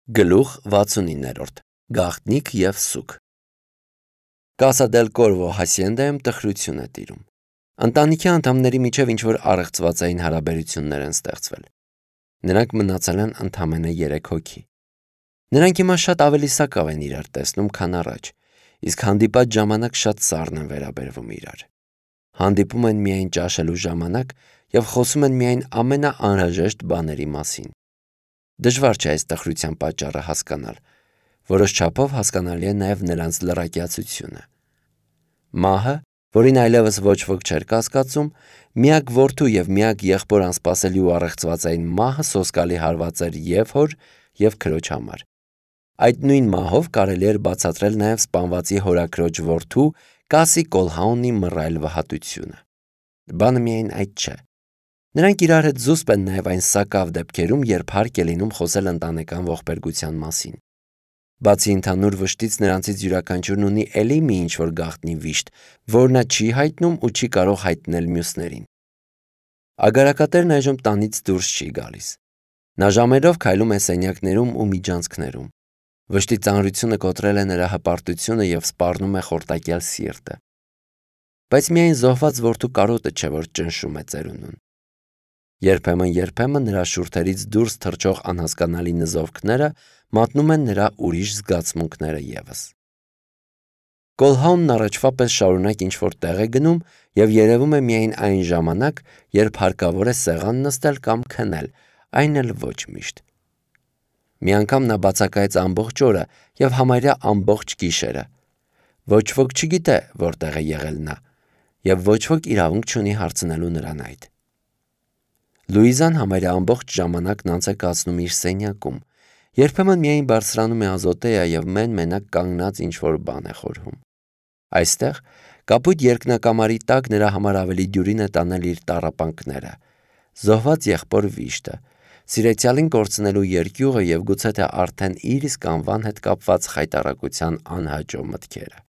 Գլուխ 69 Գաղտնիք և սուգ Կասա դել Կորվո հասիենդայում տխրություն է տիրում։ Ընտանիքի անդամների միջև ինչ-որ առեղծվածային հարաբերություններ են ստեղծվել։ Նրանք մնացել են ընդամենը 3 հոգի։ Նրանք հիմա շատ ավելի սակավ են իրար տեսնում, քան առաջ, իսկ հանդիպած ժամանակ շատ սառն են վերաբերվում իրար։ Հանդիպում են միայն ճաշելու ժամանակ և խոսում են միայն ամենաանհրաժեշտ բաների մասին։ Դժվար չէ այս տխրության պատճառը հասկանալ, որոշ չափով հասկանալի է նաև նրանց լռակյացությունը։ Մահը, որին այլևս ոչ ոք չէր կասկածում, միակ որդու և միակ եղբոր անսպասելի ու առեղծվածային մահը սոսկալի հարված էր և հոր, և քրոջ համար։ Այդ նույն մահով կարելի էր բացատրել նաև սպանվածի հորաքրոջ որդու Կասի Կոլհաունի մռայլ վհատությունը։ Բանը միայն այդ չէ։ Նրանք իրար հետ զուսպ են նաև այն սակավ դեպքերում, երբ հարկ է լինում խոսել ընտանեկան ողբերգության մասին։ Բացի ընդհանուր վշտից նրանցից յուրաքանչյուրն ունի էլի մի ինչ-որ գաղտնի վիշտ, որ նա չի հայտնում ու չի կարող հայտնել մյուսներին։ Ագարակատերն այժմ տանից դուրս չի գալիս։ Նա ժամերով քայլում է սենյակներում ու միջանցքներում։ Վշտի ծանրությունը կոտրել է նրա հպարտությունը և սպառնում է խորտակյալ սիրտը։ Բայց միայն զոհված որդու կարոտը չէ, որ ճնշում է ծերունուն։ Երբեմն նրա շուրթերից դուրս թռչող անհասկանալի նզովքները մատնում են նրա ուրիշ զգացմունքները ևս։ Կոլհաունն առաջվա պես շարունակ ինչ-որ տեղ է գնում և երևում է միայն այն ժամանակ, երբ հարկավոր է սեղան նստել կամ քնել, այն էլ ոչ միշտ։ Մի անգամ նա բացակայեց ամբողջ օրը և համարյա ամբողջ գիշերը։ Ոչ ոք չգիտե, որտեղ է եղել նա, և ոչ ոք իրավունք չունի հարցնելու նրան այդ։ Լուիզան համարյա ամբողջ ժամանակն անց է կացնում իր սենյակում, երբեմն միայն բարձրանում է ազոտեյա և մեն-մենակ կանգնած ինչ-որ բան է խորհում։ Այստեղ, կապույտ երկնակամարի տակ նրա համար ավելի դյուրին է տանել իր տառապանքները, զոհված եղբոր վիշտը, սիրեցյալին կորցնելու երկյուղը և գուցե թե արդեն իր իսկ անվան հետ կապված խայտառակության անհաջող մտքերը։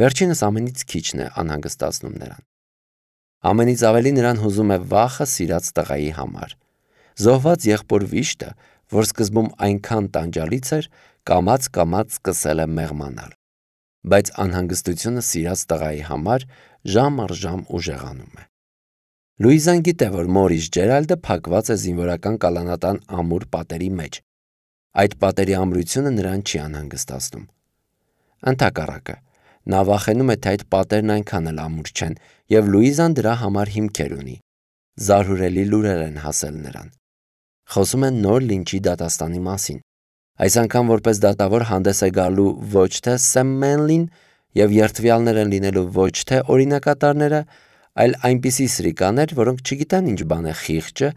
Վերջինս ամենից քիչն է անհանգստացնում նրան։ Ամենից ավելի նրան հուզում է վախը սիրած տղայի համար։ Զոհված եղբոր վիշտը, որ սկզբում այնքան տանջալից էր, կամաց-կամաց սկսել է մեղմանալ։ Բայց անհանգստությունը սիրած տղայի համար ժամ առ ժամ ուժեղանում է։ Լուիզան գիտե, որ մորից Ջերալդը փակված է զինվորական կալանատան ամուր պատերի մեջ։ Այդ պատերի ամրությունը նրան չի անհանգստացնում։ Ընդհակառակը, նա վախենում է, թե այդ պատերն այնքան էլ ամուր չեն, և Լուիզան դրա համար հիմքեր ունի։ Զարհուրելի լուրեր են հասել նրան։ Խոսում են նոր լինչի դատաստանի մասին։ Այս անգամ որպես դատավոր հանդես է գալու ոչ թե Սեմ Մենլին և երդվյալներ են լինելու ոչ թե օրինակատարները, այլ այնպիսի սրիկաներ, որոնք չգիտեն ինչ բան է խիղճը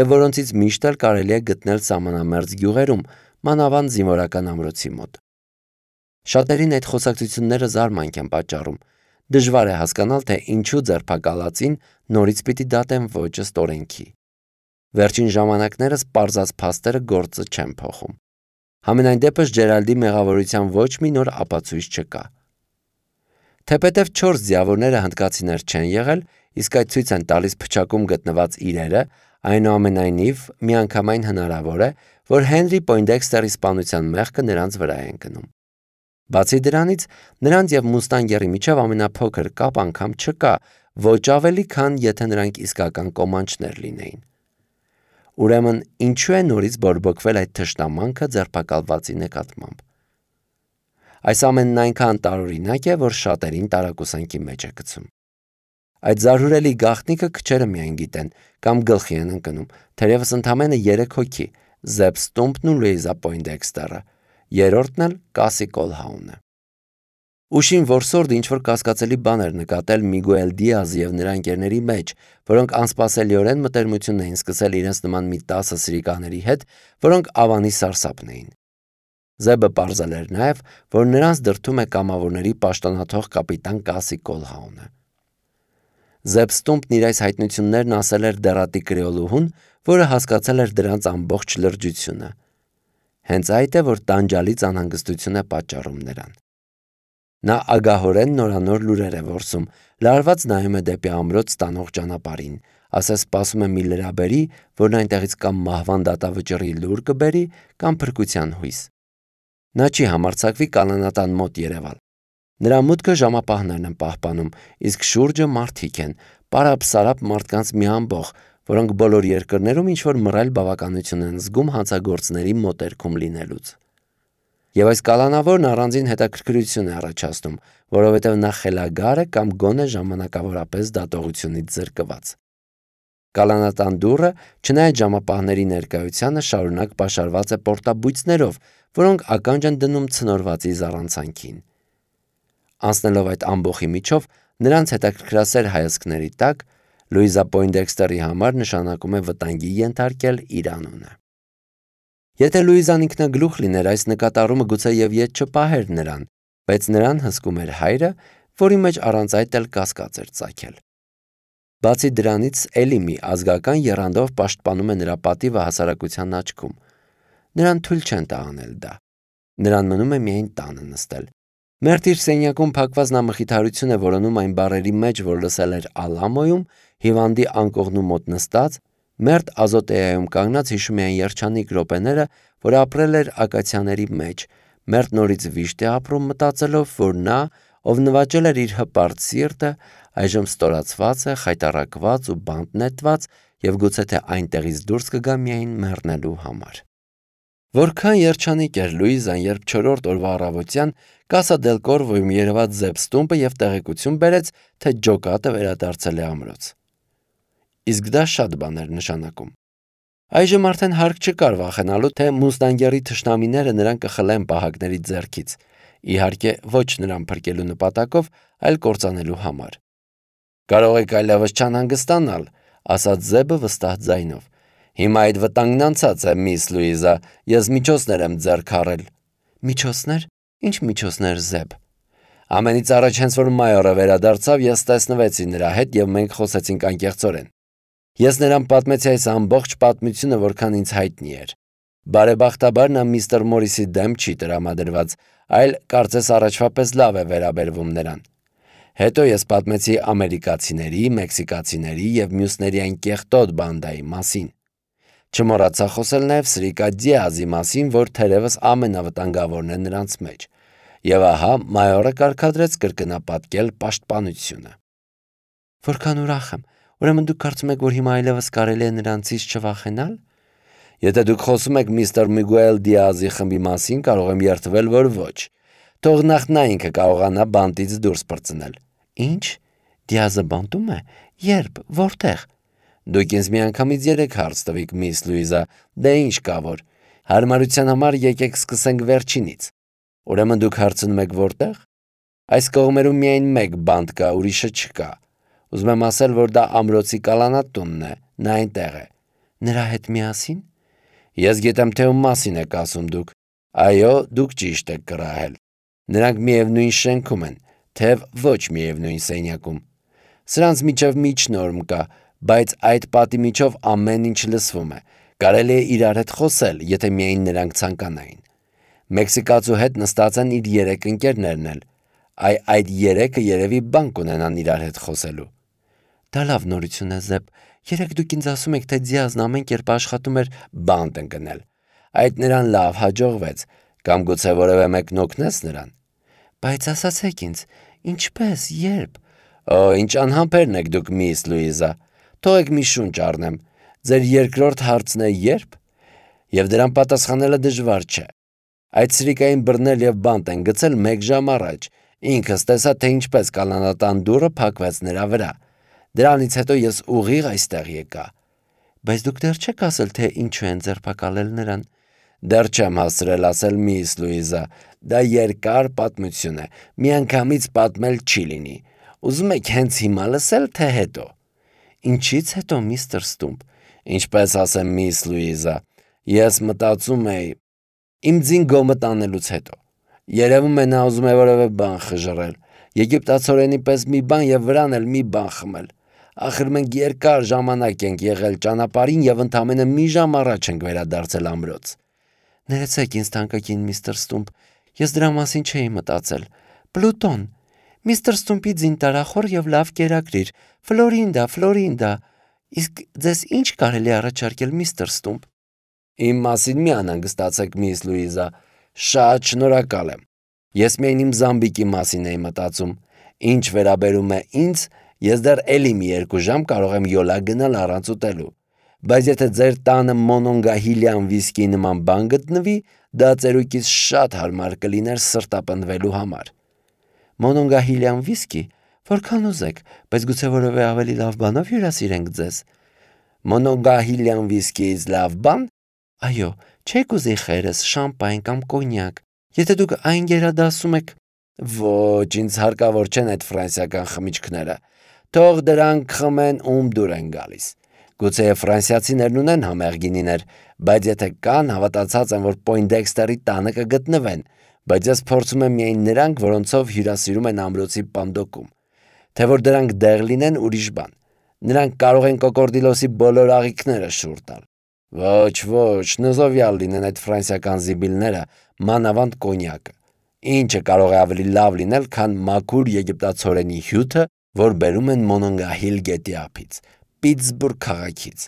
և որոնցից միշտ էլ կարելի է գտնել սահմանամերձ գյուղերում, մանավանդ զինվորական ամրոցի մոտ։ Շատերին այդ խոսակցությունները զարմանք են պատճառում։ Դժվար է հասկանալ, թե ինչու ձերբակալածին նորից պիտի դատեն ոչ ըստ օրենքի։ Վերջին ժամանակներս պարզած փաստերը գործը չեն փոխում։ Համենայն դեպս Ջերալդի մեղավորության ոչ մի նոր ապացույց չկա։ Թեպետև 4 ձիավորները հնդկացիներ չեն եղել, իսկ այդ ցույց են տալիս փչակում գտնված իրերը, այնուամենայնիվ միանգամայն հնարավոր է, որ Հենրի Պոյնդեքստերի սպանության մեղքը նրանց վրա է ընկնում։ Բացի դրանից, նրանց և Մուստանգերի միջև ամենափոքր կապ անգամ չկա, ոչ ավելի, քան եթե նրանք իսկական կոմանչներ լինեին։ Ուրեմն, ինչու է նորից բորբոքվել այդ թշնամանքը ձերբակալվածի նկատմամբ։ Այս ամենն այնքան տարօրինակ է, որ շատերին տարակուսանքի մեջ է գցում։ Այդ զարհուրելի գաղտնիքը քչերը միայն գիտեն կամ գլխի են ընկնում, թերևս ընդամենը 3 հոգի՝ Զեբ Ստումպն ու Լուիզա Պոյնդեքստերը, երրորդն էլ Կասի Կոլհաունը։ Ուշին որսորդը ինչ-որ կասկածելի բան էր նկատել Միգուել Դիազի և նրա ընկերների մեջ, որոնք անսպասելիորեն մտերմություն էին սկսել իրենց նման մի 10 սրիկաների հետ, որոնք ավանի սարսափն էին։ Զեբը պարզել էր նաև, որ նրանց դրդում է կամավորների պաշտոնաթող կապիտան Կասի Կոլհաունը։ Զեբ Ստումպն իր այս հայտնություններն ասել էր դեռատի կրեոլուհուն, որը հասկացել էր դրանց ամբողջ լրջությունը։ Հենց այդ է, որ տանջալից անհանգստություն է պատճառում նրան։ Նա ագահորեն նորանոր լուրեր է որսում, լարված նայում է դեպի ամրոց տանող ճանապարհին, ասես սպասում է մի լրաբերի, որն այնտեղից կամ մահվան դատավճռի լուր կբերի, կամ փրկության հույս։ Նա չի համարձակվի կալանատան մոտ երևալ։ Նրա մուտքը ժամապահներն են պահպանում, իսկ շուրջը մարդիկ են, պարապ-սարապ մարդկանց մի ամբոխ, որոնք բոլոր երկրներում ինչ-որ մռայլ բավականություն են զգում հանցագործների մոտերքում լինելուց։ Եվ այս կալանավորն առանձին հետաքրքրություն է առաջացնում, որովհետև նա խելագար է կամ գոնե ժամանակավորապես դատողությունից զրկված։ Կալանատան դուռը, չնայած ժամապահների ներկայությանը, շարունակ պաշարված է պորտաբույծներով, որոնք ականջ են դնում ցնորվածի զառանցանքին։ Անցնելով այդ ամբոխի միջով, նրանց հետաքրքրասեր հայացքների տակ, Լուիզա Պոյնդեքստերի համար նշանակում է վտանգի ենթարկել իր անունը։ Եթե Լուիզան ինքնագլուխ լիներ, այս նկատառումը գուցե եւ ետ չպահեր նրան, բայց նրան հսկում էր հայրը, որի մեջ առանց այդ էլ կասկած էր ծագել։ Բացի դրանից, էլի մի ազգական եռանդով պաշտպանում է նրա պատիվը հասարակության աչքում։ Նրան թույլ չեն տա անել դա։ Նրան մնում է միայն տանը նստել։ Մերթ իր սենյակում փակված նա մխիթարություն է որոնում այն բառերի մեջ, որ լսել էր Ալամոյում, հիվանդի անկողնու մոտ նստած, մերթ Ազոտեայում կանգնած հիշում է այն երջանիկ րոպեները, որ ապրել էր ակացիաների մեջ, մերթ նորից վիշտ է ապրում մտածելով, որ նա, ով նվաճել էր իր հպարտ սիրտը, այժմ ստորացված է, խայտառակված ու բանտ նետված և գուցե թե այնտեղից դուրս կգա միայն մեռնելու համար։ Որքան երջանիկ էր Լուիզան, երբ 4-րդ օրվա առավոտյան Կասա դել Կորվոյում երևաց Զեբ Ստումպը և տեղեկություն բերեց, թե ջոկատը վերադարձել է ամրոց։ Իսկ դա շատ բան էր նշանակում։ Այժմ արդեն հարկ չկար վախենալու, թե մուստանգերի թշնամիները նրան կխլեն պահակների ձեռքից, իհարկե ոչ նրան փրկելու նպատակով, այլ կործանելու համար։ Կարող եք այլևս չանհանգստանալ, ասաց Զեբը վստահ ձայնով։ Հիմա այդ վտանգն անցած է, միս Լուիզա, ես միջոցներ եմ ձեռք առել։ Միջոցներ։ Ինչ միջոցներ, Զեբ։ Ամենից առաջ հենց որ մայորը վերադարձավ, ես տեսնվեցի նրա հետ և մենք խոսեցինք անկեղծորեն։ Ես նրան պատմեցի այս ամբողջ պատմությունը, որքան ինձ հայտնի էր։ Բարեբախտաբար նա միստր Մորիսի դեմ չի տրամադրված, այլ կարծես առաջվա պես լավ է վերաբերվում նրան։ Հետո ես պատմեցի ամերիկացիների, մեքսիկացիների և մյուսների այն կեղտոտ բանդայի մասին։ Չմոռացա խոսել նաև Սրիկա Դիազի մասին, որ թերևս ամենավտանգավորն է նրանց մեջ։ Եվ ահա մայորը կարգադրեց կրկնապատկել պաշտպանությունը։ Որքան ուրախ եմ, ուրեմն դուք կարծում եք, որ հիմա այլևս կարելի է նրանցից չվախենալ։ Եթե դուք խոսում եք միստր Միգուել Դիազի խմբի մասին, կարող եմ երդվել, որ ոչ։ Թող նախ նա ինքը կարողանա բանտից դուրս պրծնել։ Ինչ։ Դիազը բանտում է։ Երբ, որտեղ։ Դուք ինձ միանգամից 3 հարց տվիք, միս Լուիզա, դե ինչ կա որ։ Հարմարության համար եկեք սկսենք վերջինից։ Ուրեմն դուք հարցնում եք որտեղ։ Այս կողմերում միայն մեկ բանտ կա, ուրիշը չկա։ Ուզում եմ ասել, որ դա ամրոցի կալանատունն է, նա այնտեղ է։ Նրա հետ միասին։ Ես գիտեմ, թե ում մասին եք ասում դուք։ Այո, դուք ճիշտ եք կռահել։ Նրանք միևնույն շենքում են, թեև ոչ միևնույն սենյակում։ Սրանց միջև միջնորմ կա, բայց այդ պատի միջով ամեն ինչ լսվում է։ Կարելի է իրար հետ խոսել, եթե միայն նրանք ցանկանային։ Մեքսիկացու հետ նստած են իր 3 ընկերներն էլ։ Այդ 3-ը երևի բան կունենան իրար հետ խոսելու։ Դա լավ նորություն է, Զեբ։ Երեք դուք ինձ ասում եք, թե Դիազն ամեն կերպ աշխատում էր բանտ ընկնել։ Այդ նրան լավ հաջողվեց, կամ գուցե որևէ մեկն օգնեց նրան։ Բայց ասացեք ինձ, ինչպես, երբ։ Օ, ինչ անհամբերն եք դուք, միս Լուիզա։ Թողեք մի շունչ առնեմ։ Ձեր երկրորդ հարցն է երբ։ Եվ դրան պատասխանելը դժվար չէ։ Այդ Սրիկային բռնել և բանտ են գցել 1 ժամ առաջ։ Ինքս տեսա, թե ինչպես կալանատան դուռը փակվեց նրա վրա։ Դրանից հետո ես ուղիղ այստեղ եկա։ Բայց դուք դեռ չեք ասել, թե ինչու են ձերբակալել նրան։ Դեռ չեմ հասցրել ասել, միս Լուիզա, դա երկար պատմություն է, միանգամից պատմել չի լինի։ Ուզում եք հենց հիմա լսել, թե հետո։ Ինչից հետո, միստր Ստումպ։ Ինչպես ասեմ, միս Լուիզա, ես մտածում էի իմ ձին գոմը տանելուց հետո։ Երևում է նա ուզում է որևէ բան խժռել, եգիպտացորենի պես մի բան և վրան էլ մի բան խմել։ Ախր մենք երկար ժամանակ ենք եղել ճանապարհին և ընդամենը մի ժամ առաջ ենք վերադարձել ամրոց։ Ներեցեք ինձ թանկագին միստր Ստումպ, ես դրա մասին չէի մտածել։ Պլուտոն, միստր Ստումպի ձին տարախոր և լավ կերակրիր, Ֆլորինդա, Իսկ ձեզ ինչ կարելի առաջարկել, միստր Ստումպ։ Իմ մասին մի անհանգստացեք, միս Լուիզա, շատ շնորհակալ եմ։ Ես միայն իմ զամբիկի մասին էի մտածում։ Ինչ վերաբերում է ինձ, ես դեռ էլի մի 2 ժամ կարող եմ յոլա գնալ առանց ուտելու։ Բայց եթե ձեր տանը մոնոնգահիլյան վիսկի նման բան գտնվի, դա ծերուկից շատ հարմար կլիներ սրտապնդվելու համար։ Մոնոնգահիլյան վիսկի, որքան ուզեք, բայց գուցե որևէ ավելի լավ բանով հյուրասիրենք ձեզ։ Մոնոնգահիլյան վիսկիից լավ բան։ Այո, չեք ուզի խերս, շամպայն կամ կոնյակ։ Եթե դուք այն գերադասում եք։ Ոչ, ինձ հարկավոր չեն այդ ֆրանսիական խմիչքները։ Թող դրանք խմեն, ում դուր են գալիս։ Գուցե ֆրանսիացիներն ունեն համեղ գինիներ, բայց եթե կան, հավատացած եմ, որ Պոյնդեքստերի տանը կգտնվեն, բայց ես փորձում եմ միայն նրանք, որոնցով հյուրասիրում են ամրոցի պանդոկում։ Թե որ դրանք դեղ լինեն, ուրիշ բան։ Նրանք կարող են կոկորդիլոսի բոլոր աղիքները շուռ տալ։ Ոչ, նզովյալ լինեն այդ ֆրանսիական զիբիլները, մանավանդ կոնյակը։ Ինչը կարող է ավելի լավ լինել, քան մաքուր եգիպտացորենի հյութը, որ բերում են Մոնոնգահիլ գետի ափից, Պիտսբուրգ քաղաքից։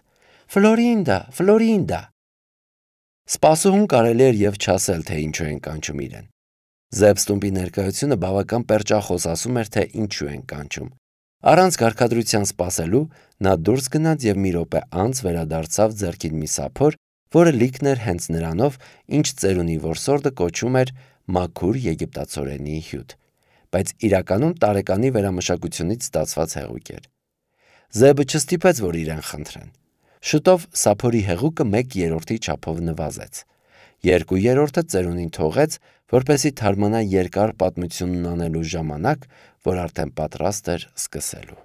Ֆլորինդա։ Սպասուհուն կարելի էր և չասել, թե ինչու են կանչում իրեն։ Զեբ Ստումպի ներկայությունը բավական պերճախոս ասում էր, թե ինչու են կանչում։ Առանց կարգադրության սպասելու նա դուրս գնաց և մի րոպե անց վերադարձավ ձեռքին մի սափոր, որը լիքն էր հենց նրանով, ինչ ծերունի որսորդը կոչում էր մաքուր եգիպտացորենի հյութ, բայց իրականում տարեկանի վերամշակությունից ստացված հեղուկ էր։ Զեբը չստիպեց, որ իրեն խնդրեն։ Շուտով սափորի հեղուկը 1/3 չափով նվազեց։ 2/3 ծերունին թողեց, որպեսզի թարմանա երկար պատմությունն անելու ժամանակ, որ արդեն պատրաստ էր սկսելու։